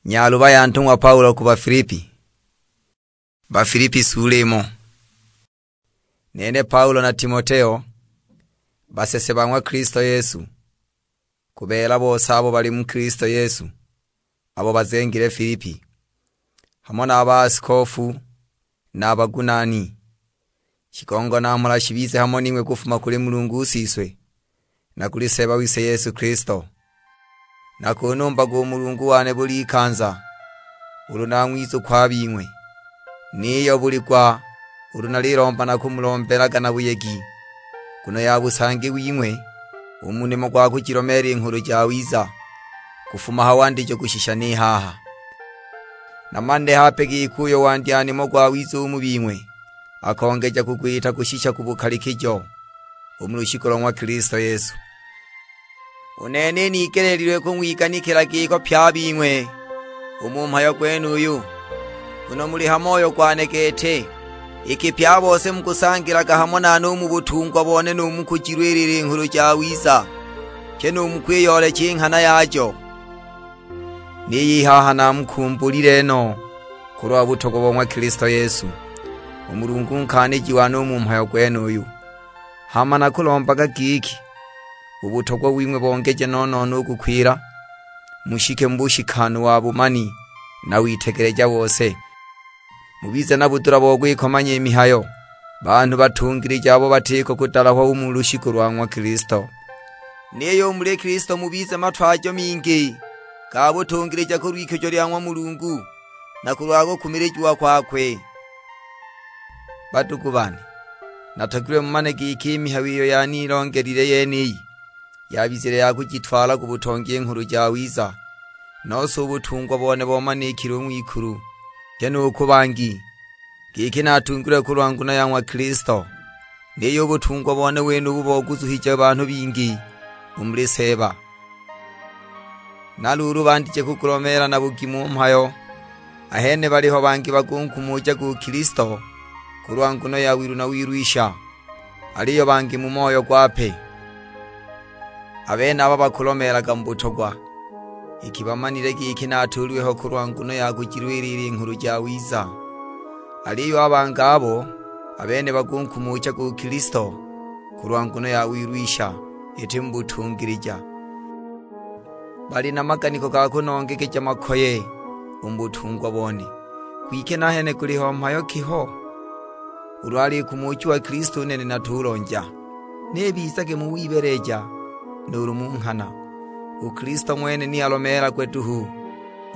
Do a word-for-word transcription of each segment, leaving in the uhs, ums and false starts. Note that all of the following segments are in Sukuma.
Nyaluba ya ntung'wa Paulo ku Bafilipi. Bafilipi sula imo. Nene Paulo na Timoteo, basese ba ng'wa Kilisto Yesu, ku beela bose abo bali mu Kilisto Yesu, abo bazengile Filipi, hamo na a baasikofu na a bagunaani. Shigongo na mhola shibize hamo ning'we kufuma kuli Mulungu u Siswe, na kuli Seeba wise Yesu Kilisto. Nakunumbaga u Mulungu wane buli ikanza, ulu nang'wizukwa a bing'we. Niyo buli gwa ulu nalilomba nakumulombelaga na buyegi, nguno ya busangi wing'we, u mu nimo gwa kujilomeela i Nghulu Jawiza, kufuma ha wandijo kushisha ni haha. Namanile hape giki uyo wandya nimo gwawiza u mu bing'we, akongeja kugwita kushisha ku bukalikijo, u mu lushiku lo ng'wa Kilisto Yesu. U nene nigeleelilwe kung'wiganikila giko pye a bing'we u mu mhayo gwenuyu, nguno muli ha moyo gwane gete, iki pye a bose mukusangilaga hamo nane u mu butungwa bone nu mu kujilwilila i Nghulu Jawiza, pye nu mu kwiyoolecha i nghana yajo. Niyo i haha namukumbulile no kulwa butogwa bo ng'wa Kilisto Yesu, u Mulungu nkaaniji wane u mu mhayo gwenuyu. Hama nakulombaga giki, u butogwa wing'we bongeje no-no-no u kukwila, mushike mu bushikanu wa bumani na witegeleja bose. Mubize na budula bo kwikomanya i mihayo, banhu batungilija abo batiko kudalahwa u mu lushiku lwa ng'wa Kilisto. Niyo u muli Kilisto mubize matwajo mingi ga butungilija kulw'ikujo lya ng'wa Mulungu, na kulwa kukumilijiwa kwakwe. Badugu bane, natogilwe mumane giki i mihayo iyo yanilongelile yeniyi, yabizile ya kujitwala ku butongi i Nghulu Jawiza, nose u butungwa bone bomanikile u ng'wikulu, pye nu ku bangi, giki natungilwe kulwa nguno ya ng'wa Kilisto, niyo u butungwa bone wenubu boguzuhije banhu bingi u muli Seeba. Na luulu bandije kugulomeela na bugimu u mhayo, ahene baliho bangi bakunkumujaga u Kilisto kulwa nguno ya wilu na wilwisha, aliyo bangi mu moyo gwape. A benaba bakulomeelaga mu butogwa, iki bamanile giki natuulilwe ho kulwa nguno ya kujilwilila i Nghulu Jawiza. Aliyo a bangi abo, a bene bakunkumujaga u Kilisto kulwa nguno ya wilwisha, iti mu butungilija. Bali na maganiko ga kunongegeja makoye u mu butungwa bone. Kwike nahene guliho mhayo ki ho? Ulu alikumujiwa Kilisto u nene natulonja, ni bizage mu wibeeleja nuulu mu nghana. U Kilisto ng'wene ni alomeelagwe duhu,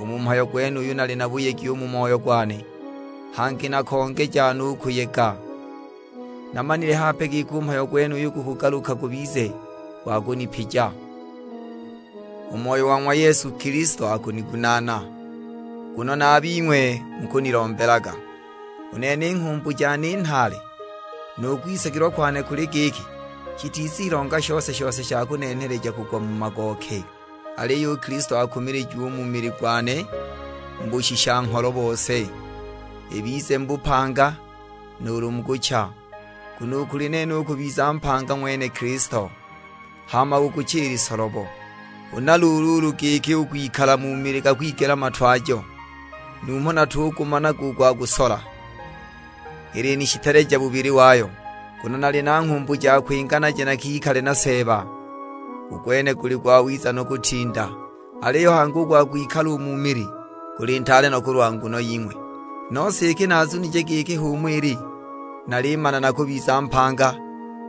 u mu mhayo gwenuyu nali na buyegi u mu moyo gwane, hangi nakongeja nu kuyega. Namanile hape giki u mhayo gwenuyu gukugaluka gubize gwa kunipija. U Moyo wa ng'wa Yesu Kilisto akunigunaana, nguno na a bing'we mukunilombelaga. U nene i nghumbu jane i nhaale, nu kwisagilwa kwane kuli giki, shitizilonga shose-shose sha kunenheleja kugwa mu magooke. Aliyo u Kilisto akumilijiwe u mu mili gwane mu bushisha-ngholo bose, ibize mu bupanga nuulu mu kucha. Nguno u kuli nene u kubiza mpanga ng'wene Kilisto, hama u kucha i lisolobo. Huna luulu ulu giki u kwikala mu mili gakwigela matwajo, numho natugumanaga u gwa kusola. Ili ni shiteleja bubili wayo, nguno nali na nghumbu ja kwinga naje nakikale na Seeba. U gwene guli gwawiza no kutinda, aliyo hangi u gwa kwikala u mu mili guli ntaale no kulwa nguno ying'we. Nose iki nazunije giki h'umo ili, nalimana nakubiza mpanga,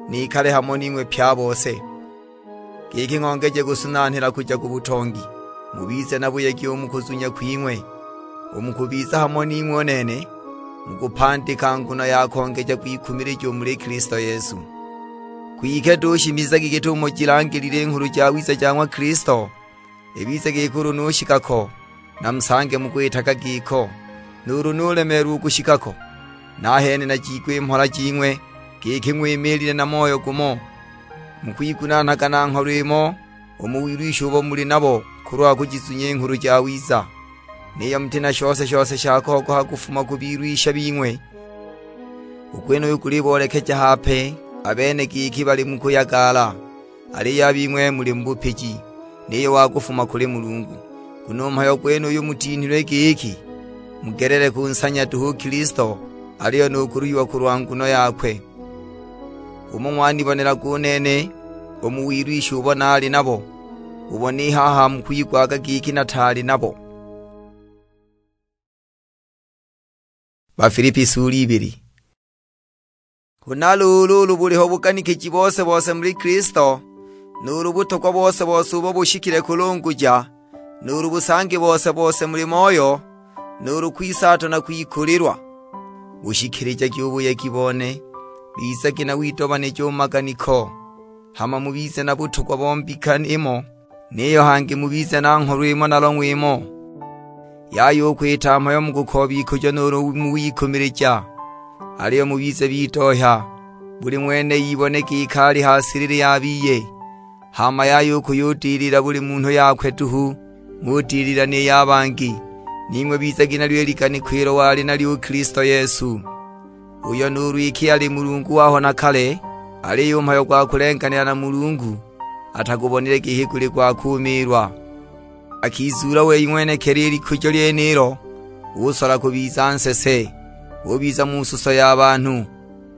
nikale hamo ning'we pye a bose. Giki ng'ongeje kusunanhila kuja ku butongi, mubize na buyegi u mu kuzunya kwing'we, u mu kubiza hamo ning'we u nene, mu kupandika nguno ya kongeja kwikumilija u muli Kilisto Yesu. Kwike dushimizagi git'umo jilangilile i Nghulu Jawiza ja ng'wa Kilisto, ibize giki ulu nushika ko, namusange mukwitaga giko. Nuulu nulemeelwa u kushika ko, nahene najigwe i mhola jing'we, giki ng'wimiilile na moyo gumo, mukwigunaanaga na ngholo imo u mu wilwisha ubo muli nabo kulwa kujizunya i Nghulu Jawiza. Niyo muti na shose-shose sha kogoha kufuma ku bilwisha bing'we. U gwenuyu guliboolekeja hape a bene giki bali mu kuyagaala, aliyo a bing'we muli mu bupiji, niyo wa kufuma kuli Mulungu. Nguno u mhayo gwenuyu mutinhilwe giki, mugelele kunsanya duhu u Kilisto, aliyo nu kuluhiwa kulwa nguno yakwe. Umo ng'wanibonelaga u nene, u mu wilwisha ubo naali nabo, ubo ni haha mukwigwaga giki nataali nabo. Bafilipi sura ibili. Huna luulu, ulu buliho buganikiji bose-bose muli Kilisto, nuulu butogwa bose-bose ubo bushikile kulunguja, nuulu busangi bose-bose muli Moyo, nuulu kwisaatwa na kwikulilwa, bushikilijagi u buyegi bone, bizagi na widobanija u mu maganiko, hama mubize na butogwa bo mbika imo, niyo hangi mubize na ngholo imo na long'we imo. Yaya u kwita mhayo mu kukooba ikujo nuulu mu wikumilija, aliyo mubize bidohya, buli ng'wene ibone giki ali ha silili ya biye. Hama yaya u kuyudilila buli munhu yakwe duhu, ng'udilila ni ya bangi. Ning'we bizagi nalyo i liganiko ilo wali nalyo u Kilisto Yesu, uyo nuulu iki ali Mulungu waho na kale, aliyo u mhayo gwa kulenganila na Mulungu atagubonile giki guli gwa kuumiilwa. Akizuula wei ng'wenekili i likujo lyenilo, usola kubiza nsese, ubiza mu suso ya banhu,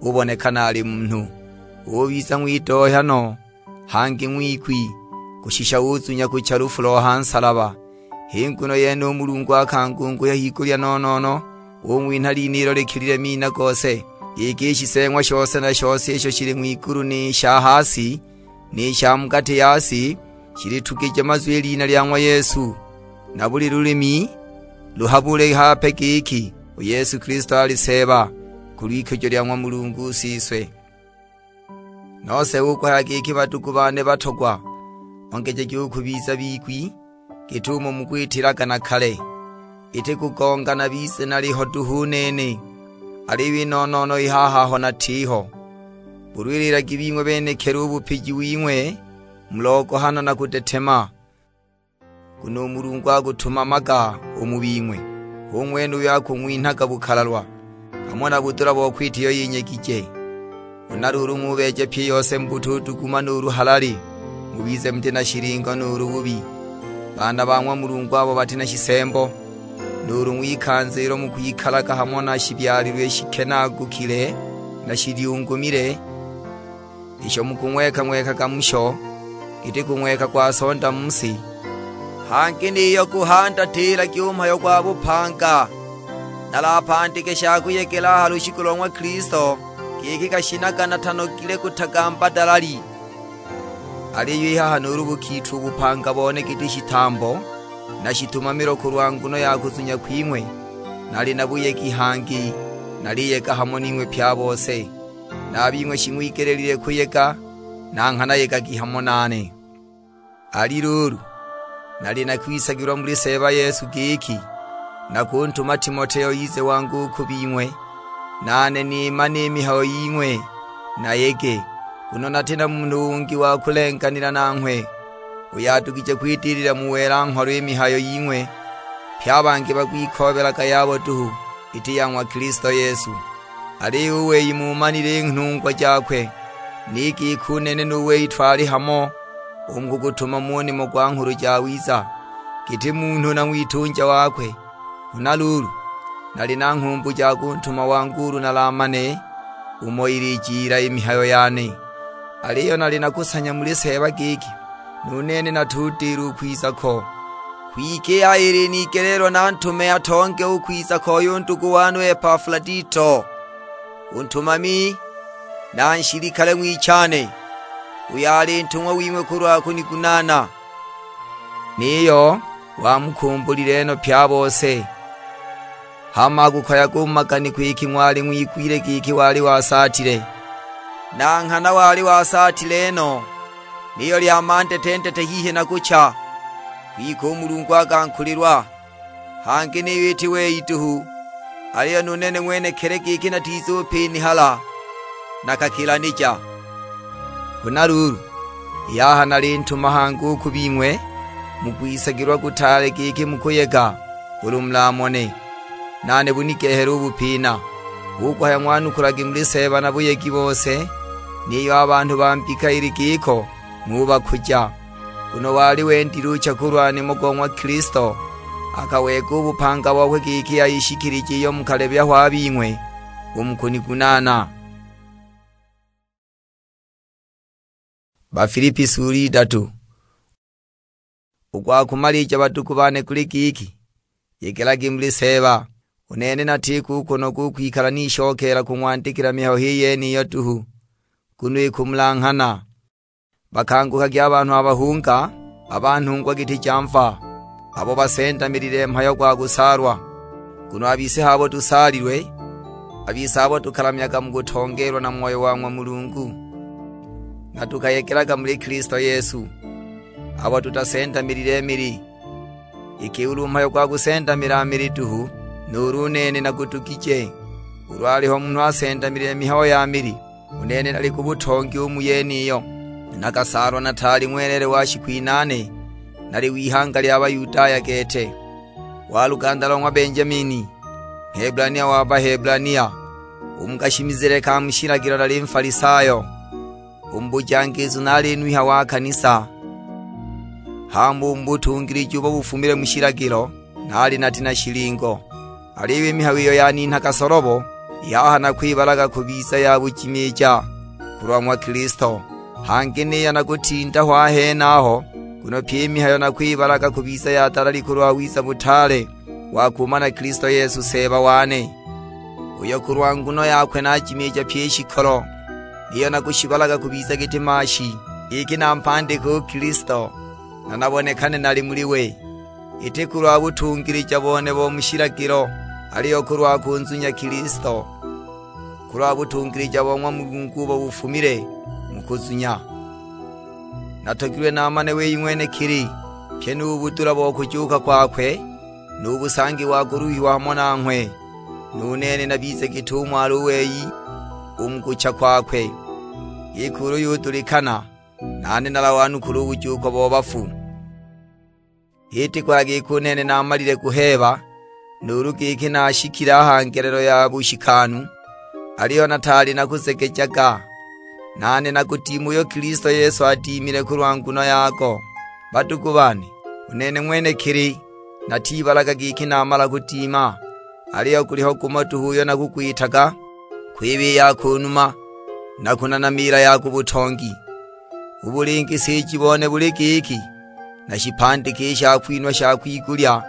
ubonekana ali munhu. Ubiza ng'widohya no, hangi ng'wigwi, kushisha uzunya kucha lufu lo ha nsalaba. H'i nguno yene u Mulungu akangunguhya higulya no-no-no, ung'winha lina ilo likilile mina gose, giki i shiseeng'wa shose na shose isho shili ng'wigulu ni sha ha si, ni sha mu gati ya si, shilitugije mazwi i lina lya ng'wa Yesu, na buli lulimi luhabule hape giki, u Yesu Kilisto ali Seeba, ku lw'ikujo lya ng'wa Mulungu Siswe. Nose u kuhaya giki, badugu bane batogwa, ongejagi u kubiza bigwi, git'umo mukwitilaga na kale. Iti kugonga nabize naliho duhu u nene, aliyo i no-no-no i haha aho natiho. Bulwililagi bing'we benekili u bupiji wing'we, mu logohano na kudetema. Nguno u Mulungu akutumamaga u mu bing'we, hu ng'wene uyo akung'winhaga bukalalwa, hamo na budula bo kwita iyo yinyegije. Huna luulu ng'ubeeja pyi i yose mu butuduguma nuulu halali, mubize muti na shilingo nuulu bubi. Baana ba ng'wa Mulungu abo bati na shisembo, nuulu ng'wikanza ilo mukwikalaga hamo na shibyalilwe shikenaagukile na shilyungumile, isho mukung'weka-ng'wekaga musho, giti kung'weka kwa sonda mu si. Hangi niyo guhandatilagi u mhayo gwa bupanga, nalapandike sha kuyegela a ha lushiku lo ng'wa Kilisto, giki gashinaga natanogile kutagamba dalali. Aliyo i haha nuulu bukiitwa u bupanga bone giti shitambo, na shitumamilo kulwa nguno ya kuzunya kwing'we, nali na buyegi hangi, naliyega hamo ning'we pye a bose. Na a bing'we shing'wigelile kuyega, na nghana yegagi hamo nane. Ali luulu, nali nakwisagilwa muli Seeba Yesu giki, nakuntuma Timoteo ize wangu u ku bing'we, nane nimane i mihayo ying'we, nayege, nguno nati na munhu ungi wa kulenganila nanghwe, uyo adugije kwidilila mu wela ngholo i mihayo ying'we, pye a bangi bakwikoobelaga yabo duhu, iti ya ng'wa Kilisto Yesu. Aliyo u wei mumanile i nhungwa jakwe, ni giki u nene nu wei twali hamo u mu kugutuma mu nimo gwa Nghulu Jawiza, giti munhu na ng'witunja wakwe. Huna luulu, nali na nghumbu ja kuntuma wangu ulu nalamane umo ilijila i mihayo yane. Aliyo nali nakusanya muli Seeba giki, nu nene natudila u kwiza ko. Kwike i yaya ilinigeleelwa nantume atonge u kwiza koi u ndugu wane u Epafuladito, u ntumami na nshilikale ng'wichane, uyo ali ntung'wa wing'we kulwa kunigunaana. Niyo wamukumbulile no pye a bose, hama akukoyaga u mu maganiko iki ng'wali ng'wigwile giki wali wasaatile. Na nghana wali wasaatile no, niyo lyama ndete-ndete hihi na kucha, kwike u Mulungu akankulilwa. Hangi niyo iti wei duhu, aliyo nu nene ng'wenekili giki natizupinihala, nakakilanija. Huna luulu, i haha nalintuma hangi u ku bing'we, mukwisagilwa kutaale giki mukuyega ulu mulamone. Nane bunigehela u bupina, hu kuhaya ng'wanukulage muli Seeba na buyegi bose, niyo a banhu ba mbika ili giko ng'ubakuja. Nguno wali wendile ucha kulwa nimo go ng'wa Kilisto, akaweega u bupanga bokwe giki ayishikilije iyo mukalebya ho a bing'we u mu kunigunaana. Bafilipi sura idatu. U gwa kumalija, badugu bane, guli giki, yegelagi muli Seeba. U nene natiko u kunoga u kwikala nishokeela kung'wandikila mihayo h'i yeniyo duhu, nguno ikumulanghana. Bakangukagi a banhu a bahunga, a ba nhungwa giti ja mva, abo basendamilile mhayo gwa kusaalwa. Nguno a bise h'abo tusaalilwe, a bise abo tukalamyaga mu kutongeelwa na Moyo wa ng'wa Mulungu, na tukayegelaga muli Kilisto Yesu, abo tutasendamilile mili. Iki ulu mhayo gwa kusendamila mili duhu, nuulu u nene nagudugije. Ulu aliho munhu asendamilile mihayo ya mili, u nene nali ku butongi u mu yeniyo. Nakasaalwa nataali ng'welele wa shiku inaane, nali w'ihanga lya Bayudaya gete, wa luganda lo ng'wa Benjamini, Ngheblania wa Baheblania, u mu kashimizile ka mu shilagilo nali Nfalisayo, u mu bujangizu naali nwinha wa kanisa, hama u mu butungiliji ubo bufumile mu shilagilo naali nati na shilingo. Aliyo i mihayo iyo yaninhaga solobo, i haha nakwibalaga kubiza ya bujimiija kulwa ng'wa Kilisto. Hangi niyo nakutinda ho a henaho, nguno pyi i mihayo nakwibalaga kubiza ya dalali kulwa wiza butaale wa kumana Kilisto Yesu Seeba wane, uyo kulwa nguno yakwe najimiija pyi i shikolo. Niyo nakushibalaga kubiza giti maashi, giki nampandike u Kilisto, na nabonekane nali muli we. Iti kulwa butungilija bone bo mu shilagilo, aliyo kulwa kunzunya Kilisto, kulwa butungilija bo ng'wa Mulungu ubo bufumile mu kuzunya. Natogilwe namane wei ng'wenekili, pyi nu budula bo kujuuka kwakwe, nu busangi wa kuluhiwa hamo nanghwe, nu nene nabize git'umo ali u wei u mu kucha kwakwe. Giki ulu yudulikana, nane nalawanukula u bujuuko bo bafu. Iti kulwa giki u nene naamalile kuheeba, nuulu giki nashikile a ha ngelelo ya bushikanu, aliyo nataali nakuzegejaga. Nane nakudima uyo Kilisto Yesu adimile kulwa nguno yago. Badugu bane, u nene ng'wenekili natibalaga giki namala kudima, aliyo guliho gumo duhu uyo nakugwitaga, kwiba i ya ku numa, na kunana miila ya ku butongi. U bulingisiji bone buli giki, nashipandike i shakwinhwa sha kwigulya,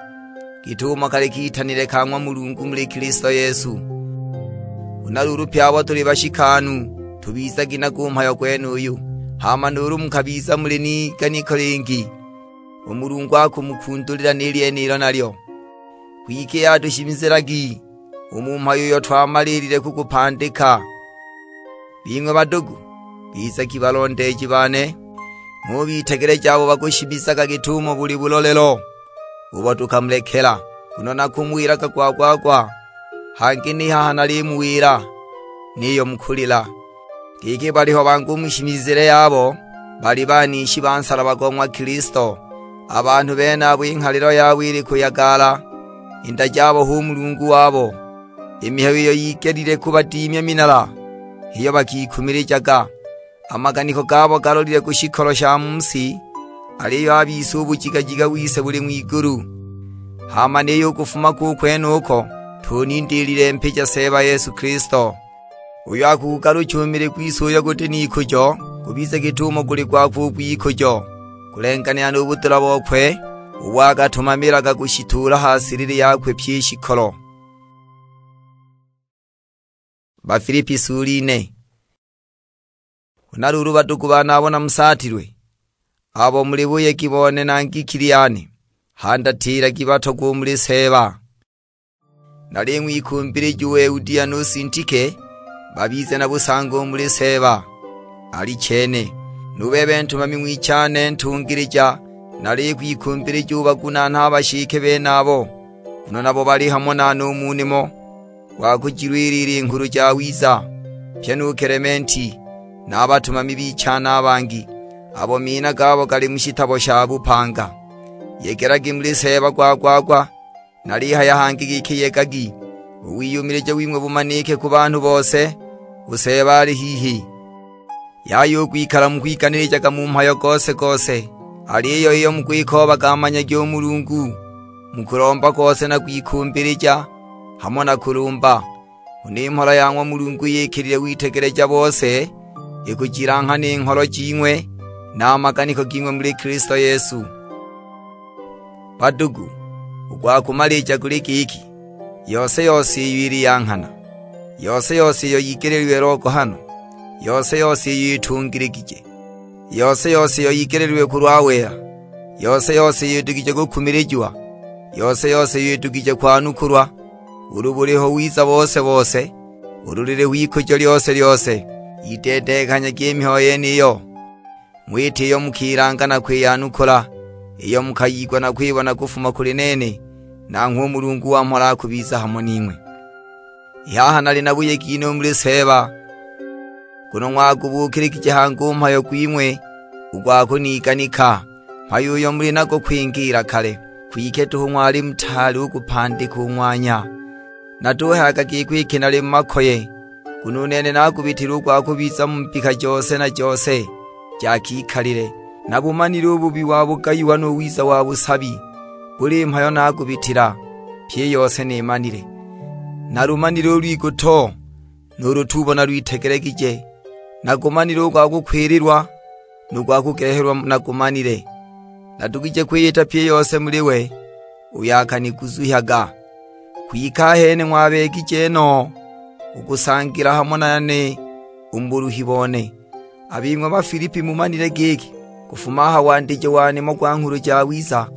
git'umo kali kitanile ka ng'wa Mulungu muli Kilisto Yesu. Huna luulu pye abo tuli bashikanu, tubizagi nago u mhayo gwenuyu. Hama nuulu mukabiza muli n'iganiko lingi, u Mulungu akumukundulila ni lyenilo nalyo. Kwike atushimizilagi u mu mhayo uyo twamaliilile kugupandika. Bing'we badugu, bizagi balondeeji bane, ng'ubitegeleja abo bakushimizaga git'umo buli bulolelo ubo tukamulekela. Nguno nakumuwilaga gwa-gwa-gwa, hangi ni haha nalimuwila, niyo mukulila. Giki baliho bangi u mu shimizile yabo bali banishi ba nsalaba go ng'wa Kilisto. A banhu benabo i nghalilo yabo ili kuyagala, i nda jabo hu mulungu wabo. I mihayo iyo yigelile kubadimya minala, h'iyo bakikumilijaga. A maganiko gabo galolile ku shikolo sha mu si, aliyo a bise u bujigajiga wise buli ng'wigulu. Hama niyo u kufuma ku kwenuko, tunindiilile mpija Seeba Yesu Kilisto, uyo akugugalucha u mili gwise uyo guti n'ikujo, gubize git'umo guli gwakwe u gw'ikujo, kulenganila nu budula bokwe ubo akatumamilaga kushituula ha silili yakwe pyi i shikolo. Bafilipi sura ine. Huna luulu badugu bane abo namusaatilwe, abo muli buyegi bone na ngikili yane, handatilagi batogwe u muli Seeba. Naling'wikumbilija u Eudia nu Sintike babize na busango u muli Seeba. Alichene, nu bebe ntumami ng'wichane ntungilija, nalikwikumbilija ubagunaane a bashike benabo, nguno nabo bali hamo nane u mu nimo gwa kujilwilila i Nghulu Jawiza. Pye nu Kelementi, na a batumami bichane a bangi, abo mina gabo gali mu shitabo sha bupanga. Yegelagi muli Seeba gwa-gwa-gwa. Nalihaya hangi giki, yegagi, u wiyumilija wing'we bumanike ku banhu bose, u Seeba ali hihi. Yaya u kwikala mukwiganilijaga mu mhayo gose-gose, Aliyo iyo mukwikoobaga amanyagi u Mulungu, mu kulomba kose na kwikumbilija, hamo na kulumba. Nguno i mhola ya ng'wa Mulungu iyikilile witegeleja bose, ikujilanghana i ngholo jing'we na a maganiko ging'we muli Kilisto Yesu. Badugu, u gwa kumalija guli giki, yose-yose iyo ili ya nghana, yose-yose iyo yigeleelilwe logohano, yose-yose iyo itungiligije, yose-yose iyo yigeleelilwe kulwa wela, yose-yose iyo idugije kukumilijiwa, yose-yose iyo idugije kwanukulwa, ulu buliho wiza bose-bose, ulu liliho ikujo lyose-lyose, yideedekanyagi i mihayo yeniyo. Ng'wita iyo mukilanga na kwiyanukula, iyo mukayigwa na kwibona kufuma kuli nene, nanghwe u Mulungu wa mhola akubiza hamo ning'we. I haha nali na buyegi no muli Seeba, nguno ng'wagubuukiligije hangi u mhayo gwing'we u gwa kuniganika, mhayo uyo muli nago kwingiila kale. Kwike duhu ng'wali mutaali u kupandika u ng'wanya. Natuhayaga giko iki nali mu makoye, nguno u nene nagubitile u gwa kubiza mu mbika jose na jose ja kikalile. Nabumanile u bubi wa bugayiwa nu wiza wa busabi, buli mhayo nagubitila, pyi i yose nimanile. Nalumanile u lwiguto, nuulu tubona lwitegelegije, nagumanile u gwa kukwililwa, nu gwa kugehelwa nagumanile. Nadugije kwiyita pyi i yose muli we uyo akaniguzuhyaga. Kwike ahene ng'wabeegije no u kusangila hamo nane u mu buluhi bone. A bing'we Bafilipi mumanile giki, kufuma a ha wandijo wa nimo gwa Nghulu Jawiza,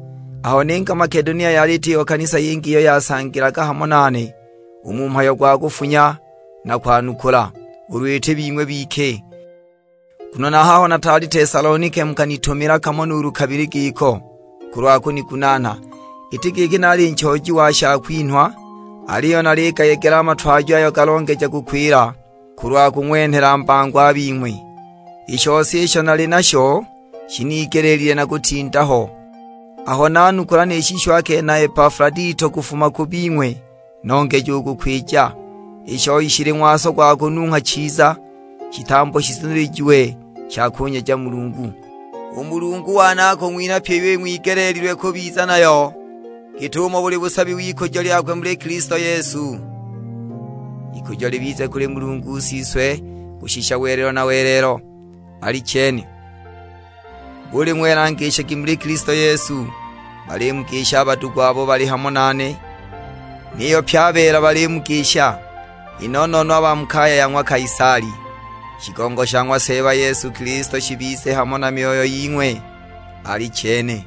aho ninga Makedonia yali itiho kanisa yingi iyo yasangilaga hamo nane u mu mhayo gwa kufunya na kwanukula, ulu iti bing'we bike. Nguno na haho nataali Tesalonike mukanitumila kamo nuulu kabili giko, kulwa kunigunanha. Iti giki naali nchooji wa shakwinhwa, aliyo naligayegela a matwajo ayo galongeja kukwila, kulwa kung'wenhela mbango a bing'we. I shose isho nali nasho shinigeleelile na kutinda ho, aho nanukula ni shisho a kena Epafradito kufuma ku bing'we, nongeja u kukwija. I shoi shili ng'waso gwa kunungha chiza, shitambo shizunilijiwe sha kunyeja Mulungu. U Mulungu wane akung'winha pyi iyo ing'wigeleelilwe kubiza nayo, git'umo buli busabi w'ikujo lyakwe muli Kilisto Yesu. Ikujo libize kuli Mulungu Siswe kushisha welelo na welelo. Alichene. Buli ng'wela ngishagi muli Kilisto Yesu, balimugisha a badugu abo bali hamo nane, niyo pye a beela balimugisha, i no-no-no a ba mu kaya ya ng'wa Kaisali. Shigongo sha ng'wa Seeba Yesu Kilisto shibize hamo na myoyo ying'we. Alichene.